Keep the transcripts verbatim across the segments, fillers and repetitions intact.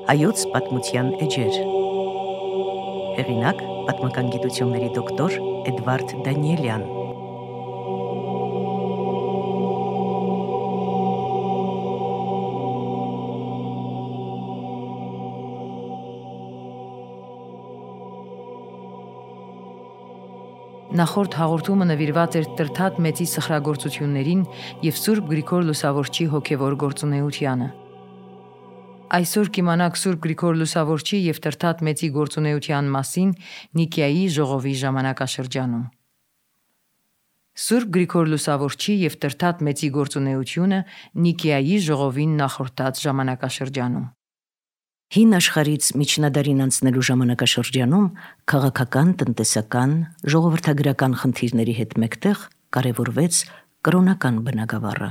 Հայոց պատմության էջեր։ Հեղինակ պատմական գիտությունների դոկտոր Էդվարդ Դանիելյան։ Նախորդ հաղորդումը նվիրված էր Տրթատ մեծի սխրագործություններին և Սուրբ Գրիգոր Լուսավորչի հոգևոր գործունեությանը։ Այսօր կիմանաք Սուրբ Գրիգոր Լուսավորչի և Տրթատ մեծի գործունեության մասին Նիկիայի ժողովի ժամանակաշրջանում։ Սուրբ Գրիգոր Լուսավորչի և Տրթատ մեծի գործունեությունը Նիկիայի ժողովին նախորդած ժամանակաշրջանում։ Հին աշխարհից միջնադարին անցնելու ժամանակաշրջանում քաղաքական, տնտեսական, ժողովրդագրական խնդիրների հետ մեկտեղ կարևորվեց կրոնական բնագավառը,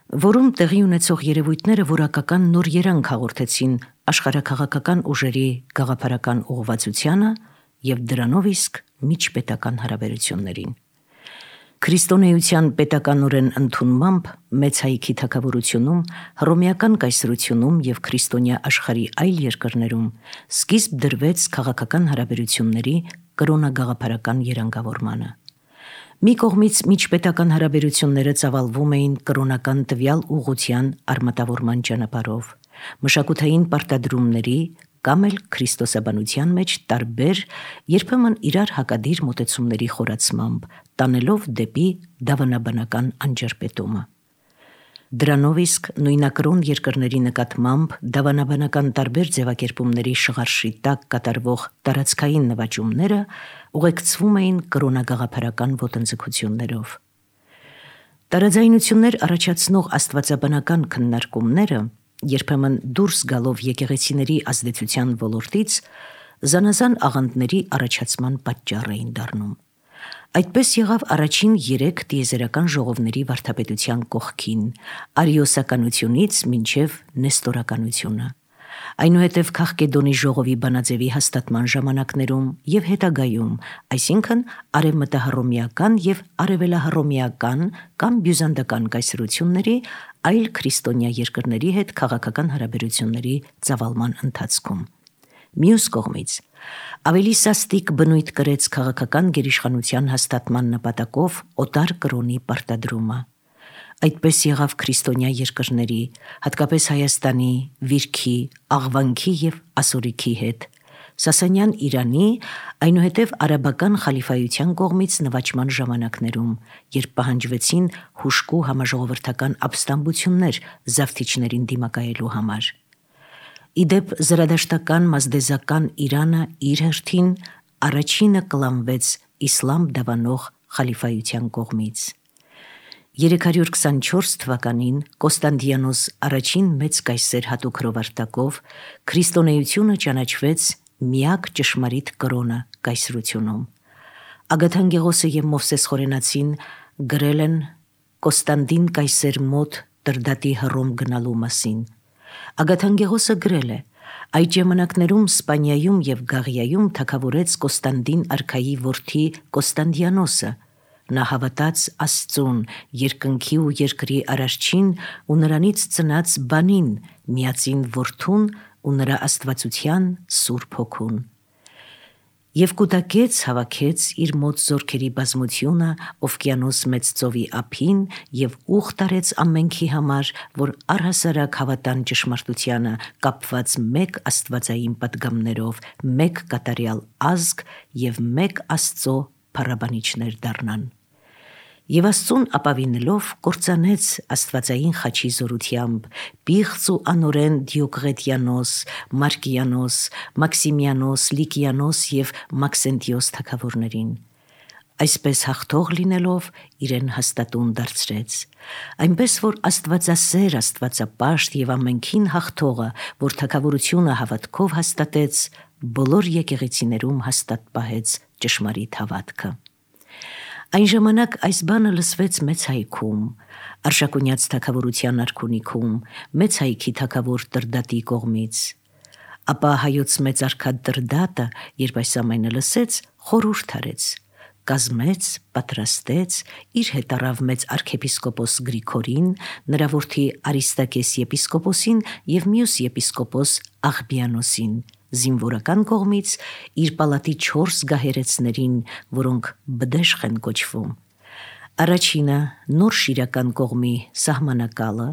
որում տեղի ունեցող երևույթները որակական նոր երանգ հաղորդեցին աշխարհաքաղաքական ուժերի գաղափարական ուղղվածությանը և դրանով իսկ միջպետական հարաբերություններին։ Քրիստոնեության պետականորեն ընդունմամբ մեծ հայքի թագավորությունում, հռոմեական կայսրությունում և քրիստոնյա աշխարհի այլ երկրներում սկիզբ դրվեց քաղաքական հարաբերությունների կրոնագաղափարական երանգավորմանը։ Մի կողմից միջպետական հարաբերությունները ծավալվում էին կրոնական տվյալ ուղղության արմատավորման ճանապարհով, մշակութային պարտադրումների կամ էլ քրիստոսաբանության մեջ տարբեր, երբեմն իրար հակադիր մոտեցումների խորացմամբ, տանելով դեպի դավանաբանական անջրպետումը։ Դրանով իսկ նույնակրոն երկրների նկատմամբ դավանաբանական տարբեր ձևակերպումների շղարշի տակ կատարվող տարածքային նվաճումները ուղեկցվում էին կրոնագաղափարական ոտնձգություններով։ Տարաձայնություններ առաջացնող աստվածաբանական քննարկումները, երբեմն դուրս գալով եկեղեցիների ազդեցության ոլորտից, զանազան աղանդների առաջացման պատճառ էին դառնում։ Այդպես եղավ առաջին երեք տիեզերական ժողովների վարդապետության կողքին, արիոսականությունից մինչև նեստորականությունը, այնուհետև Քաղկեդոնի ժողովի բանաձևի հաստատման ժամանակներում և հետագայում, այսինքն արևմտահռոմեական և արևելահռոմեական կամ բյուզանդական կայսրությունների այլ քրիստոնյա երկրների հետ քաղաքական հարաբերությունների ծավալման ընթացքում։ Մյուս կողմից, ավելի սաստիկ բնույթ կրեց քաղաքական գերիշխանության հաստատման նպատակով օտար կրոնի պարտադրումը։ Այդպես եղավ քրիստոնյա երկրների, հատկապես Հայաստանի, Վիրքի, Աղվանքի և Ասորիքի հետ, Սասանյան Իրանի, այնուհետև արաբական խալիֆայության կողմից նվաճման ժամանակներում, երբ պահանջվեցին հուժկու համաժողովրդական ապստամբություններ զավթիչներին դիմակայելու համար։ Ի դեպ, զրադաշտական մազդեզական Իրանը իր հերթին առաջինը կլանվեց իսլամ դավանող խալիֆայության կողմից։ երեք հարյուր քսանչորս թվականին Կոստանդիանոս առաջին մեծ կայսեր հատուկ հրովարտակով քրիստոնեությունը ճանաչվեց միակ ճշմարիտ կրոնը կայսրությունում։ Ագաթանկեղոսը և Մովսես Խորենացին գրել են Կոստանդին կայսեր մոտ Տրդատի Հռոմ գնալու մասին։ Ագաթանկեղոսը գրել է. «Այդ ժամանակներում Սպանիայում և Գաղիայում թագավորեց Կոստանդին արքայի որդի Կոստանդիանոսը։ Նա հավատաց Աստծուն, երկնքի ու երկրի Արարչին ու նրանից ծնած բանին, միածին որդուն ու նրա աստվածության Սուրբ Հոգուն։ Եվ կուտակեց, հավաքեց իր մոտ զորքերի բազմությունը Օվկիանոս մեծ ծովի ափին և ուխ տարեց ամենքի համար, որ առհասարակ հավատան ճշմարտությանը, կապված մեկ աստվածային պատգամներով, մեկ կատարյալ ազգ և մեկ Աստծո փառաբանիչներ դառնան։ Եվ Աստծուն ապավինելով կործանեց աստվածային խաչի զորությամբ պիղծ ու անօրեն Դիոկղետիանոս, Մարկիանոս, Մաքսիմիանոս, Լիկիանոս և Մաքսենտիոս թագավորներին։ Այսպես հաղթող լինելով իրեն հաստատուն դարձրեց, այնպես որ աստվածասեր, աստվածապաշտ և ամենքին հաղթողը, որ թագավորությունը հավատքով հաստատեց, բոլոր եկեղեցիներում հաստատ պահեց ճշմարիտ հավատքը։ Այն ժամանակ այս բանը լսվեց Մեծ հայքում, Արշակունյաց թագավորության արքունիքում, Մեծ հայքի թագավոր Տրդատի կողմից։ Ապա հայոց մեծ արքա Տրդատը, երբ այս ամենը լսեց, խորհուրդ արեց. կազմեց, պատրաստեց, իր հետ առավ մեծ արքեպիսկոպոս Գրիգորին, նրա որդի Արիստակես եպիսկոպոսին և մյուս եպիսկոպոս Աղբիանոսին, զինվորական կողմից իր պալատի չորս գահերեցներին, որոնք բդեշխ են կոչվում։ Առաջինը Նոր Շիրական կողմի սահմանակալը,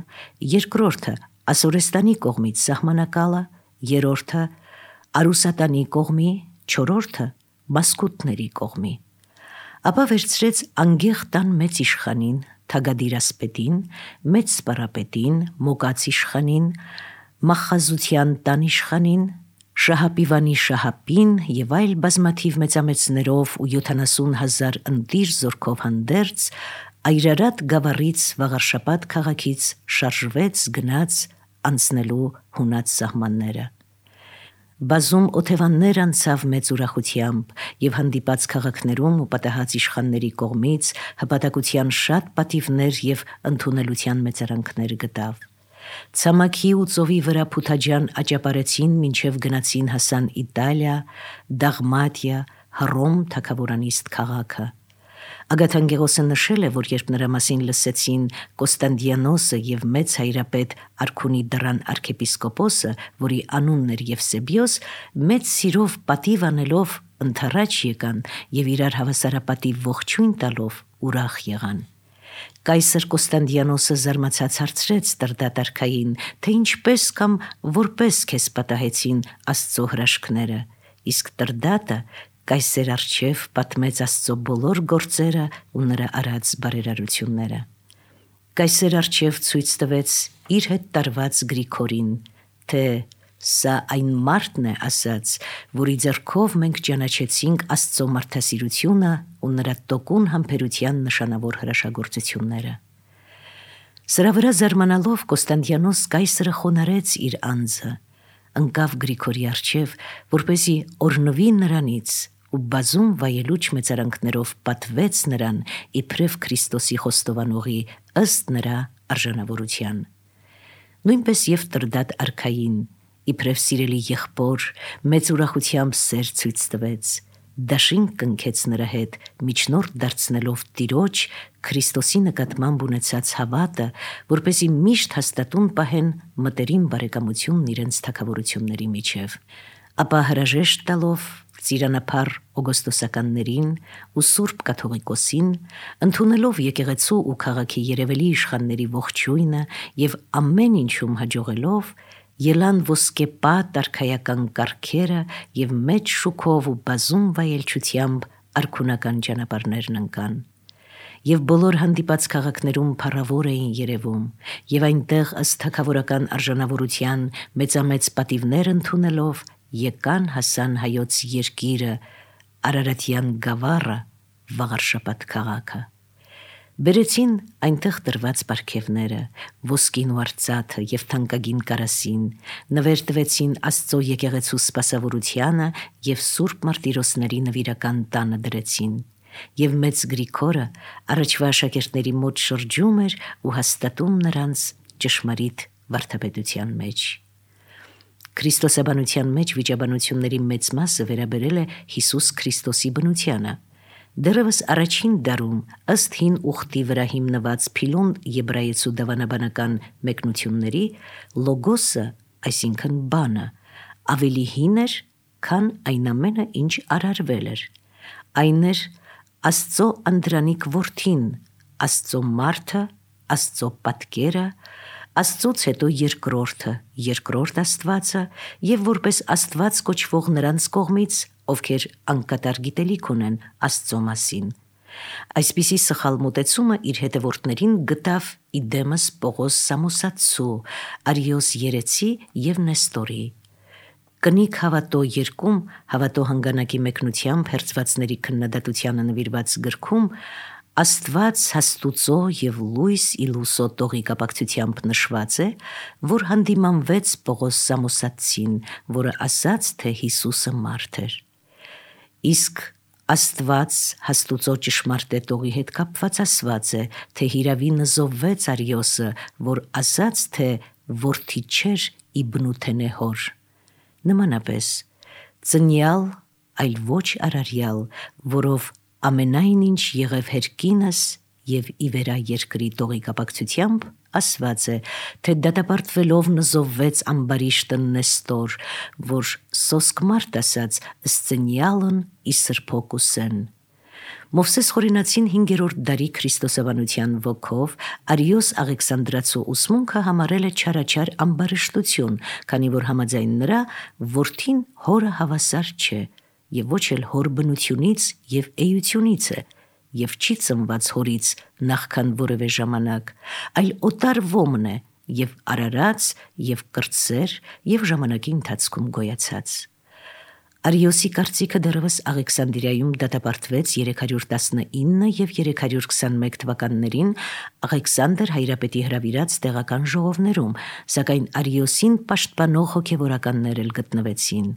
երկրորդը Ասորեստանի կողմից սահմանակալը, երրորդը Արուսատանի կողմի, չորրորդը Մասկուտների կողմի։ Ապա վերցրեց անգեղ տան մեծ իշխանին, թագադիրասպետին, մեծ սպարապետին, մոգաց իշխանին, մախազության տան իշխանին, Շահապիվանի Շահապին և այլ բազմաթիվ մեծամեծներով ու յոթանասուն հազար ընտիր զորքով հանդերձ, Այրարատ գավառից Վաղարշապատ քաղաքից շարժվեց գնաց անցնելու հունած սահմանները։ Բազում օթևաններ անցավ մեծ ուրախությամբ և հանդիպած քաղաքներում ու պատահած իշխանների կողմից հպատակության շատ պատիվներ և ընդունելության մեծարանքներ գտավ։ Ցամաքի ու ծովի վրա փութաջան աճապարեցին մինչև գնացին հասան Իտալիա, Դաղմատիա, Հռոմ թագավորանիստ քաղաքը։ Ագաթանգեղոսը նշել է, որ երբ նրա մասին լսեցին Կոստանդիանոսը և մեծ հայրապետ Արքունի դռան արքեպիսկոպոսը, որի անունն էր Եվսեբիոս, մեծ սիրով պատիվ անելով ընդառաջ եկան և իրար հավասարապատիվ ողջույն տալով ուրախ եղան։ Կայսր Կոստանդիանոսը զարմացած հարցրեց Տրդատ արքային, թե ինչպես կամ որպես քեզ պատահեցին Աստծո հրաշքները, իսկ Տրդատը կայսեր առջև պատմեց Աստծո բոլոր գործերը ու նրա արած բարերարությունները։ Կայսեր առջև ցույց տվեց իր հետ տարված Գրիգորին, թե սա այն մարդն է, ասաց, որի ձեռքով մենք ճանաչեցինք Աստծո մարդասիրությունը ու նրա տոկուն համբերության նշանավոր հրաշագործությունները։ Սրա վրա զարմանալով Կոստանդիանոս կայսրը խոնարհեց իր անձը, ընկավ Գրիգորի առջև, որպեսզի օրհնվի նրանից ու բազում վայելուչ մեծարանքներով պատվեց նրան իբրև Քրիստոսի խոստովանողի ըստ նրա արժանավորության։ Նույնպես և Տրդատ արքային իբրև սիրելի եղբոր մեծ ուրախությամբ սեր ցույց տվեց, դաշինք կնքեց նրա հետ, միջնորդ դարձնելով Տիրոջ Քրիստոսի նկատմամբ ունեցած հավատը, որպեսզի միշտ հաստատուն պահեն մտերիմ բարեկամությունն իրենց թագավորությունների միջև։ Ապա հրաժեշտ տալով ծիրանափառ օգոստոսականներին ու Սուրբ Կաթողիկոսին, ընդունելով եկեղեցու ու քաղաքի երևելի իշխանների ողջույնը և ամեն ինչում հաջողելով, ելան ոսկեպատ արքայական կառքերը և մեծ շուքով ու բազում վայելչությամբ արքունական ճանապարհներն ընկան։ Եվ բոլոր հանդիպած քաղաքներում փառավոր էին երևում, և այնտեղ ըստ թագավորական արժանավորության մեծամեծ պատիվներ ընդունելով եկան հասան հայոց երկիրը, Արարատյան գավառը, Վաղարշապատ քաղաքը։ Բերեցին այնտեղ տրված պարգևները, ոսկին ու արծաթը և թանկագին կարասին, նվեր տվեցին Աստծո եկեղեցու սպասավորությանը և Սուրբ Մարտիրոսների նվիրական տանը դրեցին, և մեծ Գրիգորը առաջվա աշակերտների մոտ շրջում էր ու հաստատում նրանց ճշմարիտ վարդապետության մեջ։ Քրիստոսաբանության մեջ վիճաբանությունների մեծ մասը վերաբերել է Հիսուս Քրիստոսի բնությանը։ Դեռևս առաջին դարում ըստ հին ուխտի վրա հիմնված Փիլոն եբրայեցու դավանաբանական մեկնությունների լոգոսը, այսինքն բանը, ավելի հին էր, քան այն ամենը, ինչ արարվել էր։ Այն էր Աստծո անդրանիկ որդին, Աստծո մարդը, Աստծո պատկերը, Աստծուց հետո երկրորդը, երկրորդ Աստվածը և որպես Աստված կոչվող նրանց կողմից, ովքեր անկատար գիտելիք ունեն Աստծո մասին։ Այսպիսի սխալ մոտեցումը իր հետևորդներին գտավ իդեմս Պողոս Սամոսացու, Արիոս Երեցի և Նեստորի։ Կնիկ հավատո երկում հավատո հանգանակի մեկնությամբ հերձվածների քննադատությանը նվիրված գրքում Աստված հաստուծո և լույս իլուսո տողի կապակցությամբ նշված է, որ հանդիմանվեց Պողոս Սամոսացին, որը ասաց, թե Հիսուսը մարդ էր։ Իսկ Աստված հաստուծո ճշմարտ տողի հետ կապված ասված է, թե հիրավի նզովվեց Արիոսը, որ ասաց, թե որդի չէր ի բնութենե հոր։ Նմանապես, ծնյալ, այլ ոչ արարյալ, որով ամենայն ինչ եղև հերկինս եւ ի վերա երկրի տողի կապակցությամբ ասված է, թե դատապարտվելով նզովվեց ամբարիշտը Նեստոր, որ սոսկ մարդ ասած սցենյալն ի սրբոկուսեն։ Մովսես Խորինացին հինգերորդ դարի քրիստոսաբանության ոգով Արիոս Աղեքսանդրացու ուսմունքը համարել է չարաչար ամբարշտություն, քանի որ համաձայն նրա որդին հորը հավասար չէ եւ ոչ էլ հոր բնությունից եւ էությունից է եւ չի ծնված հորից նախքան որևէ ժամանակ, այլ օտար ոմն է եւ արարած եւ կրտսեր եւ ժամանակի ընթացքում գոյացած։ Արիոսի կարծիքը դեռևս Աղեքսանդրիայում դատապարտվեց երեք հարյուր տասնինը եւ երեք հարյուր քսանմեկ թվականներին Աղեքսանդր հայրապետի հրավիրած տեղական ժողովներում, սակայն Արիոսին պաշտպանող հոգևորականներ էլ գտնվեցին։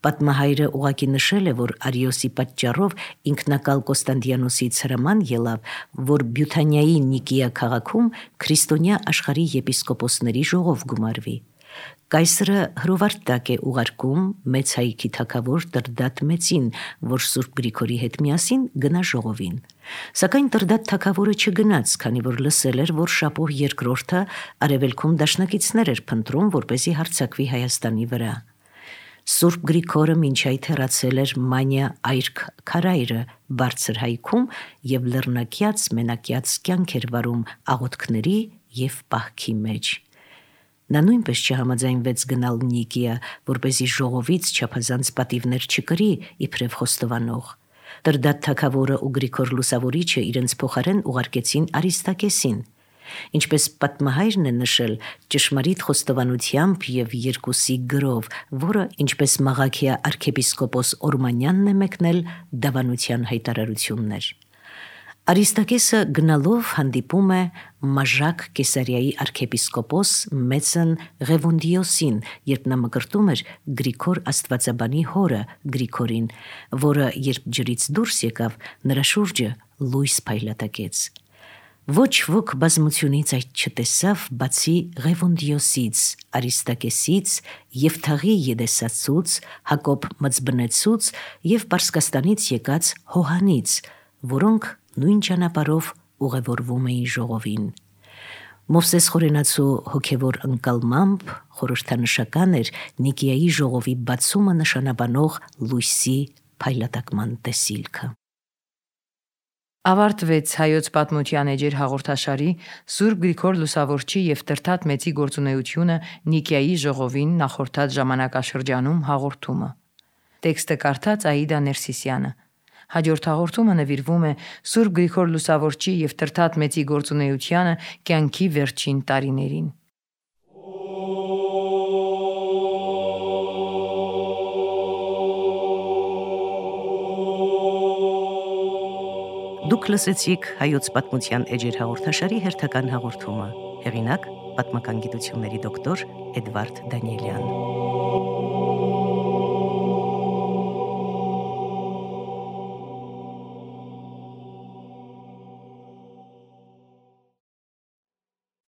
Պատմահայրը ուղակի նշել է, որ Արիոսի պատճառով ինքնակալ Կոստանդիանոսից հրաման ելավ, որ Բյութանիայի Նիկիա քաղաքում քրիստոնյա աշխարհի եպիսկոպոսների ժողով գումարվի։ Կայսրը հրովարտակ է ուղարկում մեծ հայքի թագավոր Տրդատ մեծին, որ Սուրբ Գրիգորի հետ միասին գնա ժողովին։ Սակայն Տրդատ թագավորը չգնաց, քանի որ լսել էր, որ Շապոհ երկրորդը արևելքում դաշնակիցներ էր փնտրում, որպեսզի հարձակվի Հայաստանի վրա։ Սուրբ Գրիգորը մինչ այդ հեռացել էր Մանյա այրք քարայրը բարձր հայքում եւ լեռնակյաց մենակյաց կյանք էր վարում աղոթքների եւ պահքի մեջ։ Նա նույնպես չհամաձայնվեց գնալ Նիկիա, որպեսզի ժողովից չափազանց պատիվներ չկրի իբրև խոստովանող։ Տրդատ թագավորը ու Գրիգոր Լուսավորիչը իրենց փոխարեն ուղարկեցին Արիստակեսին։ Ինչպես պատմահայրն է նշել, ճշմարիտ խոստովանությամբ եւ երկուսի գրով, որը ինչպես Մաղաքիա arczepiskopos Օրմանյանն է մեկնել դավանության հայտարարություններ։ Արիստակեսը գնալով հանդիպում է Մաժակ Կեսարիայի arczepiskopos Մեծն Ղևոնդիոսին, երբ նա մկրտում էր Գրիգոր Աստվածաբանի հորը Գրիգորին, որը երբ ջրից դուրս եկավ, նրա շուրջը լույս փայլատակեց։ Ոչ ոք բազմությունից այդ չտեսավ, բացի Ղևոնդիոսից, Արիստակեսից, Եվթաղի Եդեսացուց, Հակոբ Մծբնեցուց եւ Պարսկաստանից եկած Հոհանից, որոնք նույն ճանապարհով ուղևորվում էին ժողովին։ Մովսես Խորենացու հոգևոր ընկալմամբ խորհրդանշական էր Նիկիայի ժողովի բացումը նշանաբանող լույսի փայլատակման տեսիլքը։ Ավարտվեց հայոց պատմության էջեր հաղորդաշարի Սուրբ Գրիգոր Լուսավորչի եւ Տրդատ մեծի գործունեությունը Նիկիայի ժողովին նախորդած ժամանակաշրջանում հաղորդումը։ Տեքստը կարդաց Աիդա Ներսիսյանը։ Հաջորդ հաղորդումը նվիրվում է Սուրբ Գրիգոր Լուսավորչի եւ Տրդատ մեծի գործունեությանը կյանքի վերջին տարիներին։ Դուք լսեցիք հայոց պատմության էջեր հաղորդաշարի հերթական հաղորդումը։ Հեղինակ՝ պատմական գիտությունների դոկտոր Էդվարդ Դանիելյան։